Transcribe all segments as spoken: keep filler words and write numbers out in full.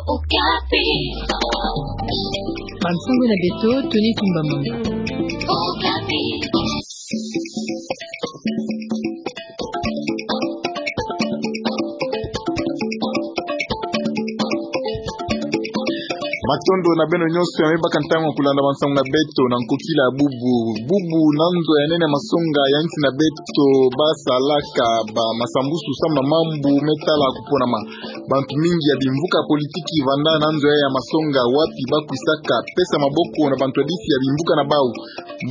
Okapi. Bansangu na beto, Tony Tumbamanga. Okapi. Matondo na beno nyonso ya me baka ntangu ya kulanda bansangu na beto na nkokila ya bubu. Bubu na nzo ya nene masonga ya nsi na beto basalaka ba masambusu samu na mambu me tala kuponama. Bantu mingi ya bimvuka politiki vanda na nzo ya ya masonga wapi bakwisaka pesa maboko na bantu ya bisi ya bimvuka na bau.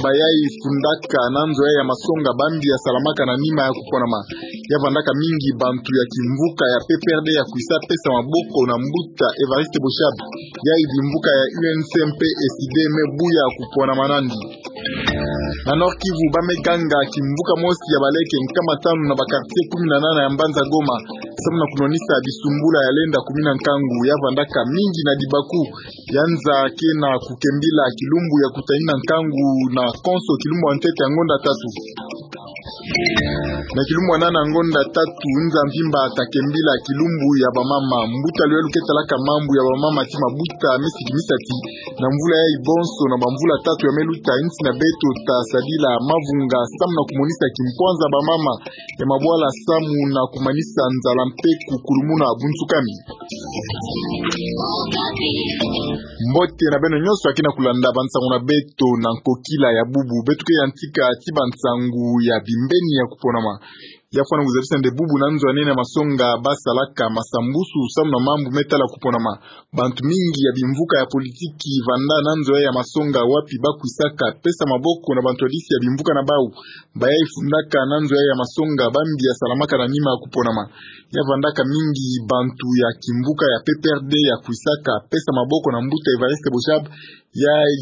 Bayai fundaka na nzo ya ya masonga bambi ya salamaka na nima ya kuponama. Ya vandaka mingi bantu ya kimvuka ya P P R D ya kwisa pesa maboko na mbuta Évariste Boshab. Yai bimvuka ya U N C mpe S I D me buya kuponama nandi. Na Nord-Kivu, ba me ganga kimvuka mosi ya baleke nkama tanu na ba quartier kumi na nana ya mbanza Goma, samu na kunwanisa bisumbula ya lenda kumina nkangu. Ya vandaka mingi na dibaku. Ya nza ke na kukembila kilumbu ya kutanina nkangu na konso kilumbu ya ntete ya ngonda tatu. Na kilumbu ya nana ya ngonda tatu, nza mvimba ta kembila kilumbu ya bamama. Mbuta Luelu ke talaka mambu ya bamama ti mabuta me sidi misati na mvula yai bonso na bamvula tatu ya me luta, nsi na beto ta sadila mavunga samu na kumonisa kimpwanza bamama ya mabwala samu na kumanisa nzala mpe kukulumuna bunsukami. Mbote na beno nyonso ya ke na kulanda bansangu na beto na nkokila ya bubu. Beto ke yantika ti bansangu ya bimbeni ya kuponama. Ya fwana kuzabisa nde bubu na nzo ya nene ya masonga basalaka masambusu samu na mambu me tala kuponama. Bantu mingi ya bimvuka ya politiki vanda na nzo ya ya masonga wapi bakwisaka pesa maboko na bantu ya bisi ya bimvuka na bau. Bayai fundaka na nzo ya ya masonga bambi ya salamaka na nima ya kuponama. Ya vandaka mingi bantu ya kimvuka ya P P R D ya kwisaka pesa maboko na mbuta Évariste Boshab. Yai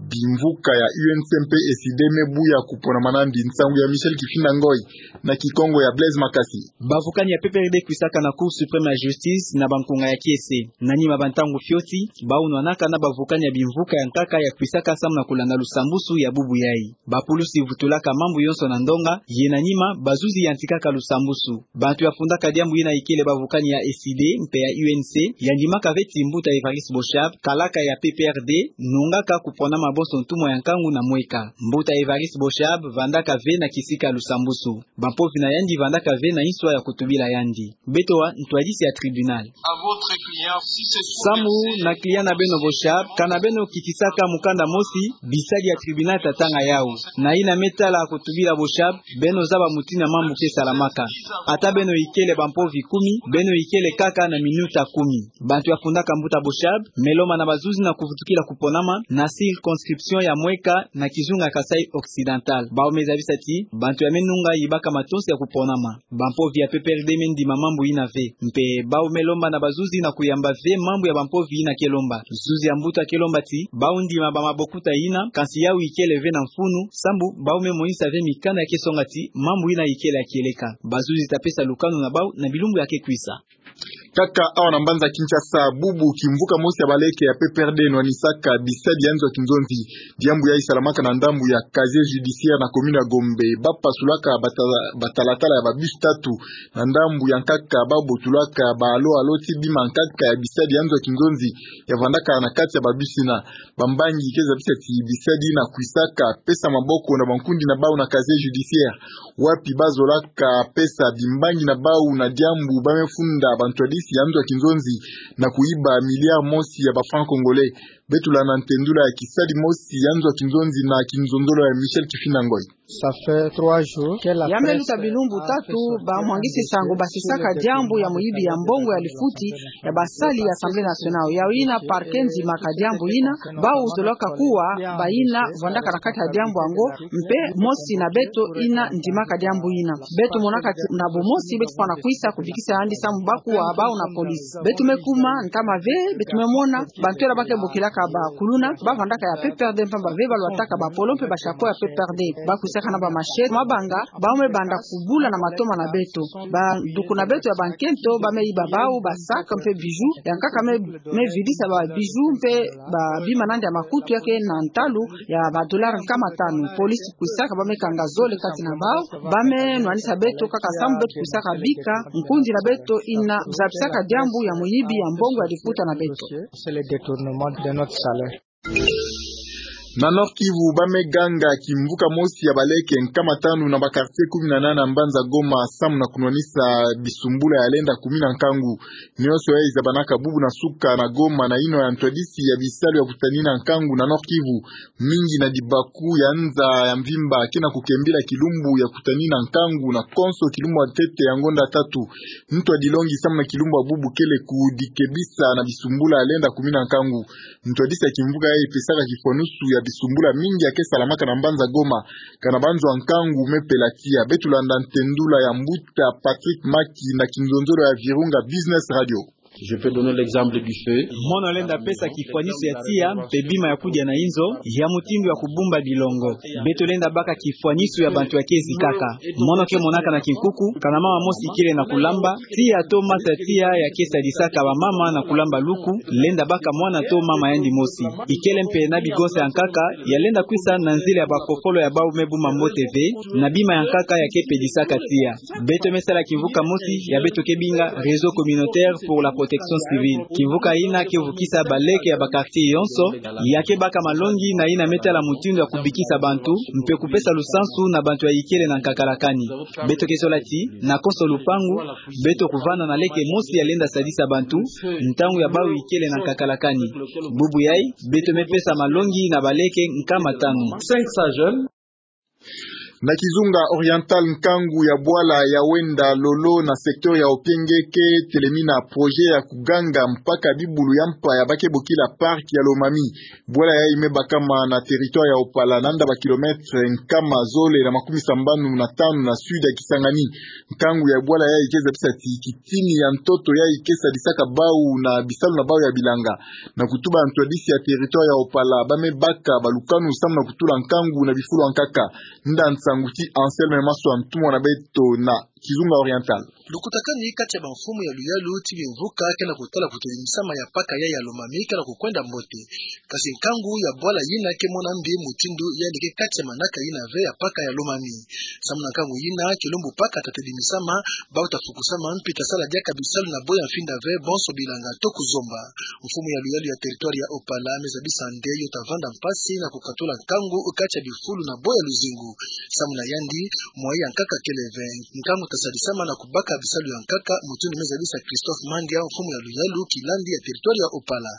bimvuka ya U N C mpe S I D me buya kuponama nandi. Nsangu ya Michel Kifinda Ngoy na Kikongo ya Blaise Makasi. Bavukani ya P P R D kwisaka na Cour suprême ya justice na bankunga ya kiese. Na nima bantangu fioti, bau nwanaka na bavukani ya bimvuka ya nkaka ya kwisaka samu na kulanda lusambusu ya bubu yai. Bapulusi vutulaka mambu yonso na ndonga, ye na nima bazuzi yantikaka lusambusu. Bantu ya fundaka diambu yina ikele bavukani ya S I D mpe ya U N C, ya ndimaka ve ti mbuta Évariste Boshab, kalaka ya P P R D, nungaka kuponama bonso ntumwa ya nkangu na mweka. Mbuta Évariste Boshab vandaka ve na kisika lusambusu. Bampovi na yandi vandaka ve na inswa ya kutubila yandi. Beto wa ntwadisi ya tribunal. Samu na client na beno Boshab, kana beno kitisaka mukanda mosi, bisadi ya tribunal ta tanga yau. Na yina me tala kutubila Boshab, beno zaba mutindu ya mambu ke salamaka. Ata beno ikele bampovi kumi, beno ikele kaka na minuta kumi. Bantu ya fundaka mbuta Boshab me lomba na bazuzi na kuvutukila kuponama na circonscription ya mweka na kizunga Kasaï Occidental. Bau me zabisa ti bantu ya me nunga yibaka matonsi ya kuponama. Bampovi ya P P R D me ndima mambu yina ve. Mpe bau me lomba na bazuzi na kuyamba ve mambu ya bampovi yina ke lomba. Zuzi ya mbuta ke lomba ti bau ndima bamabokuta yina, kansi yau ikele ve na mfunu, sambu bau me monisa ve mikanda ya ke songa ti mambu yina ikele ya kieleka. Bazuzi ta pesa lukanu na bau na bilumbu ya ke kwisa. Kaka awa na mbanza Kinshasa, bubu kimvuka mosi ya baleke ya P P R D nwanisaka bisadi ya nzo ya kinzonzi. Diambu yai salamaka na ndambu ya casier judiciaire na commune ya Gombe. Bapasulaka bata-, batalatala ya babus tatu. Na ndambu ya nkaka, babotulaka ba alo alo ti bima nkaka ya bisadi ya nzo ya kinzonzi ya vandaka na kati ya babus yina. Bambangi ke zabisa ti bisadi yina kwisaka pesa maboko na bankundi na bau na casier judiciaire, wapi bazolaka pesa bimbangi na bau na diambu ba me funda bantwadisi ya nzo ya kinzonzi na kuyiba milliard mosi ya ba francs congolais. Beto landa ntendula ya kisadi mosi ya nzo ya kinzonzi na kinzonzolo ya Michel Kifinda Ngoy. Ça fait trois jours que la presse. Ya me luta bilumbu tatu, bamwangisi nsangu basisaka diambu ya muyibi ya mbongo ya lifuti ya basali ya Assemblée nationale. Yau yina parquet ndimaka diambu yina, bau zolaka kuwa bayina vandaka na kati ya diambu yango, mpe mosi na beto yina ndimaka diambu yina. Beto monaka ti na bumosi beto fwana kwisa kubikisa yandi samu bakuwa bau na police. Beto me kuma ntama ve, beto me mona bantu yina ba ke bokilaka ba kuluna, bavandaka ya P P R D mpamba ve, balwataka ba polo mpe ba chapeau ya P P R D. Baku- Saka na ba machette, mabanga, bau me banda kubula na matoma na beto. Banduku na beto ya bankento, ba me iba bau, ba sac, mpe bijoux, ya nkaka me, me vidisa ba bijoux, mpe ba bima nandi ya makutu ya ke na ntalu, ya ba dollars nkama tanu. Police kwisaka, ba me kanga zole kati na bau, ba me nwanisa beto kaka samu beto kwisaka bika nkundi na beto ina zabisaka diambu ya muyibi ya mbongo ya liputa na beto. C'est le détournement de notre salaire. Na Nord-Kivu, ba me ganga kimvuka mosi ya baleke nkama tanu na ba quartiers kumi na nana ya mbanza Goma, samu na kunwanisa bisumbula ya lenda kumina nkangu. Nionso yayi zabanaka bubu na suka na Goma na yinwa ya ntwadisi ya bisalu ya kutanina nkangu na Nord-Kivu. Mingi na dibaku ya nza ya mvimba ke na kukembila kilumbu ya kutanina nkangu na konso kilumbu ya ntete ya ngonda tatu. Ntu ya dilongi samu na kilumbu ya bubu kele kudikebisa na bisumbula ya lenda kumina nkangu. Ntwadisi ya kimvuka yayi pesaka kifwanusu ya bisumbula mingi ya ke salamaka na mbanza Goma, kana banzo ya nkangu me pela tiya. Beto landa ntendula ya mbuta Patrick Maki na kinzonzolo ya Virunga Business Radio. Je peux donner l'exemple du feu. Mono lenda pesa kifwanusu ya tiya, mpe bima ya kudia na inzo, ya mutindu ya kubumba bilongo. Beto lenda baka kifwanusu ya bantu ya ke zikaka. Mono ke monaka na kinkuku, kana mama mosi kele na kulamba, tiya to masa tiya ya ke sadisaka ba mama na kulamba luku, lenda baka mwana to mama yandi mosi. Ikele mpe na bigonsa ya nkaka, ya lenda kwisa na nzila ya bakokolo ya bau me buma mbote ve, na bima ya nkaka ya ke pedisaka tiya. Beto me sala kimvuka mosi, ya beto ke binga Réseau communautaire pour la protection civile. Kimvuka yina ke vukisa baleke ya ba quartiers yonso, ya ke baka malongi na yina me tala mutindu ya kubikisa bantu, mpe kupesa lusansu na bantu ya ikele na nkakalakani. Beto ke zola ti, na konso lupangu, beto kuvanda na leke mosi ya lenda sadisa bantu, ntangu ya bau ikele na nkakalakani. Bubu yayi, beto me pesa malongi na baleke nkama tanu. Cinq cents jeunes. Na Kizunga Oriental, nkangu ya bwala ya Wenda Lolo na secteur ya Opienge ke telemina projet ya kuganga mpaka bibulu ya mpa ya ba ke bokila parc ya Lomami. Bwala yayi me bakama na territoire ya Opala, nanda ba kilomètres nkama zole na makumi sambanu na tanu na sud ya Kisangani. Nkangu ya bwala yayi ke zabisa ti kitini ya ntoto yayi ke sadisaka bau na bisalu na bau ya bilanga. Na kutuba ntwadisi ya territoire ya Opala, ba me baka balukanu samu na kutula nkangu na bifulu ya nkaka. Nda nsangu ti Anselme Maswa, ntumwa na beto na Kizunga Oriental. Lukutakanu kati ya bamfumu ya luyalu ti bimvuka ke na kutala kutodimisama ya parc yayi ya Lomami ke na kukwenda mbote. Kasi nkangu ya bwala yina ke mona mbi mutindu yandi ke kati ya manaka yina ve ya parc ya Lomami. Samu na nkangu yina, kilumbu parc ta todimisama, bau ta fukusama, mpi ta sala diaka bisalu na bwe ya mfinda ve, bonso bilanga to kuzomba. Mfumu ya luyalu ya territoire ya Opala me zabisa nde yo ta vanda mpasi na kukatula nkangu kati ya bifulu na bwe ya luzingu. Samu na yandi, moyen ya nkaka kele ve. Nkangu ta sadisama na kubaka bisalu ya nkaka, mutindu me zabisa Christophe Mandia, mfumu ya luyalu kilandi ya territoire ya Opala.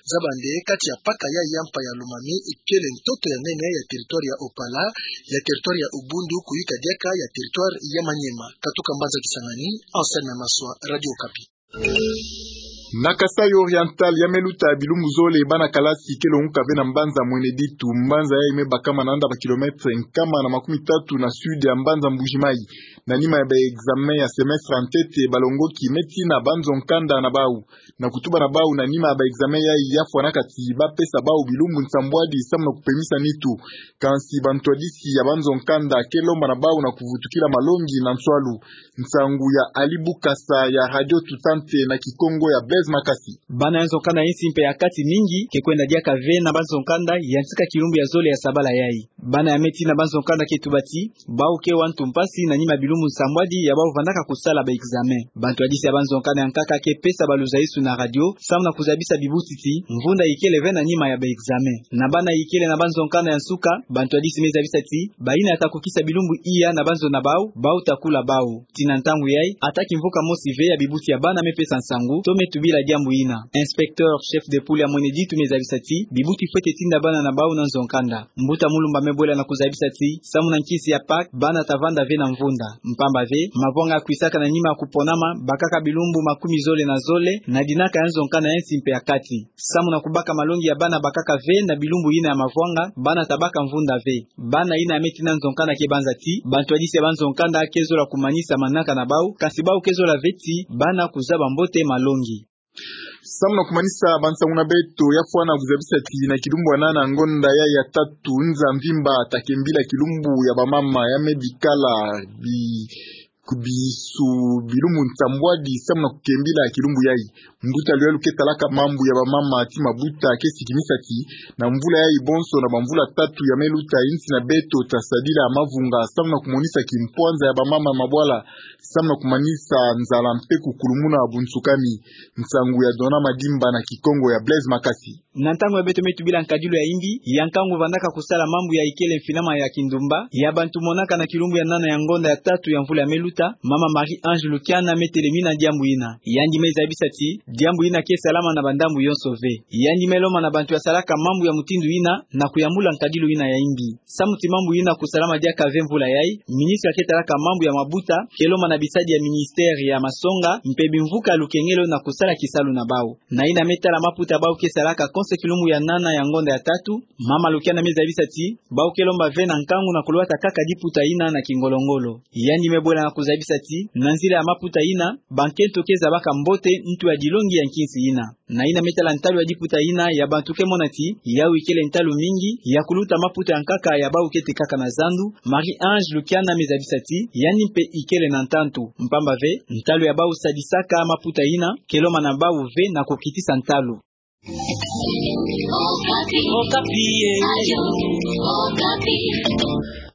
Zaba nde kati ya parc yayi ya mpa ya Lomami, ikele ntoto ya nene ya territoire ya Opala, ya territoire ya Ubundu, kuyika diaka ya territoire ya Maniema. Katuka mbanza Kisangani, Anselme Maswa, Radio Okapi. Na Kasaï Oriental, ya me luta bilumbu zole, bana kalasi ke longuka ve na mbanza Mweneditu. Mbanza yayi me bakama nanda ba kilomètres nkama na makumi tatu na sud ya mbanza Mbuji-Mayi. Na nima ya ba examen ya semestre ya ntete, balongoki me tina banzo nkanda na bau. Na kutuba na bau na nima ya ba examen yayi, ya fwanaka ti ba pesa bau bilumbu nsambwadi samu na kupemisa nitu. Kansi bantwadisi ya banzo nkanda ke lomba na bau na kuvutukila malongi na nswalu. Nsangu ya Ali Bukasa ya Radio Tutante na Kikongo ya Blaise Makasi. Bana ya nzo nkanda ya insi mpe ya kati mingi ke kwenda diaka ve na banzo nkanda ya ntika kilumbu ya zole ya sabala yayi. Bana ya me tina banzo nkanda ke tuba ti, bau ke wa ntu mpasi na nima ya bilumbu nsambwadi ya bau vandaka kusala ba examen. Bantwadisi ya banzo nkanda ya nkaka ke pesa baluzaisu na radio, samu na kuzabisa bibuti ti, mvunda ikele ve na nima ya ba examen. Na bana ikele na banzo nkanda ya nsuka, bantwadisi me zabisa ti, bayina ta kukisa bilumbu iya na banzo na bau, bau ta kula bau. Tina ntangu yayi, ata kimvuka mosi ve ya bibuti ya bana me pesa nsangu, to me tubila diambu yina. Inspecteur chef de poule ya Mweneditu me zabisa ti, bibuti fwete tinda bana na bau na nzo nkanda. Mbuta Mulumba me bwela na kuzabisa ti, samu na nkisi ya PAC, bana ta vanda ve na mvunda. Mpamba ve, mavwanga ya kwisaka na nima ya kuponama, bakaka bilumbu makumi zole na zole, na dinaka ya nzo nkanda ya insi mpe ya kati. Samu na kubaka malongi ya bana bakaka ve na bilumbu yina ya mavwanga, bana ta baka mvunda ve. Bana yina ya me tina nzo nkanda ke banza ti, bantwadisi ya banzo nkanda ke zola kumanisa manaka na bau, kansi bau ke zola ve ti, bana kuzaba mbote malongi. Samu na kumanisa bansangu na beto, ya fwana kuzabisa ti na kilumbu ya nana ngonda yayi ya tatu nza mvimba, ta kembila kilumbu ya bamama ya me bikala bi-, ku bisu bilumbu nsambwadi samu na kukembila kilumbu yayi. Mbuta luyalu ke talaka mambu ya bamama Tima Buta ke sikimisa ti na mvula yayi bonso na bamvula tatu ya me luta, insi na beto ta sadila mavunga samu na kumonisa kimpwanza ya bamama mabwala, samu na kumanisa nzala mpe kukulumuna bunsukami. Nsangu ya Dona Madimba na Kikongo ya Blaise Makasi. Na ntangu ya beto me tubila nkadilu ya yimbi, ya nkangu vandaka kusala mambu ya ikele mfinama ya kindumba ya bantu monaka na kilumbu ya nana ya ngonda ya tatu ya mvula ya me luta, mama Marie-Ange Lukiana me telemina diambu yina. Yandi me zabisa ti diambu yina ke salama na bandambu yonso ve. Yandi me lomba na bantu ya salaka mambu ya mutindu yina na kuyambula nkadilu yina ya yimbi. Samu ti mambu yina kusalama diaka ve mvula yayi, ministre ke talaka mambu ya mabuta ke lomba na bisadi ya ministère ya masonga mpe bimvuka ya lukengelo na kusala kisalu na bau. Na yina me tala maputa bau ke salaka konse kilumbu ya nana ya ngonda ya tatu, mama Lukiana me zabisa ti bau ke lomba ve na nkangu na kulwata kaka diputa yina na kingolo-ngolo. Yandi me bwela na kuzabisa ti na nzila ya maputa yina, bankento ke zabaka mbote ntu ya dilongi ya nkinsi yina. Na yina me tala ntalu ya diputa yina, ya bantu ke mona ti yawu ikele ntalu mingi ya kuluta maputa ya nkaka ya bau kete kaka na zandu, Marie-Ange Lukiana me zabisa ti yandi mpe ikele na ntantu, mpamba ve ntalu ya bau sadisaka maputa yina ke lomba na bau ve na kukitisa ntalu. Okapi, eh.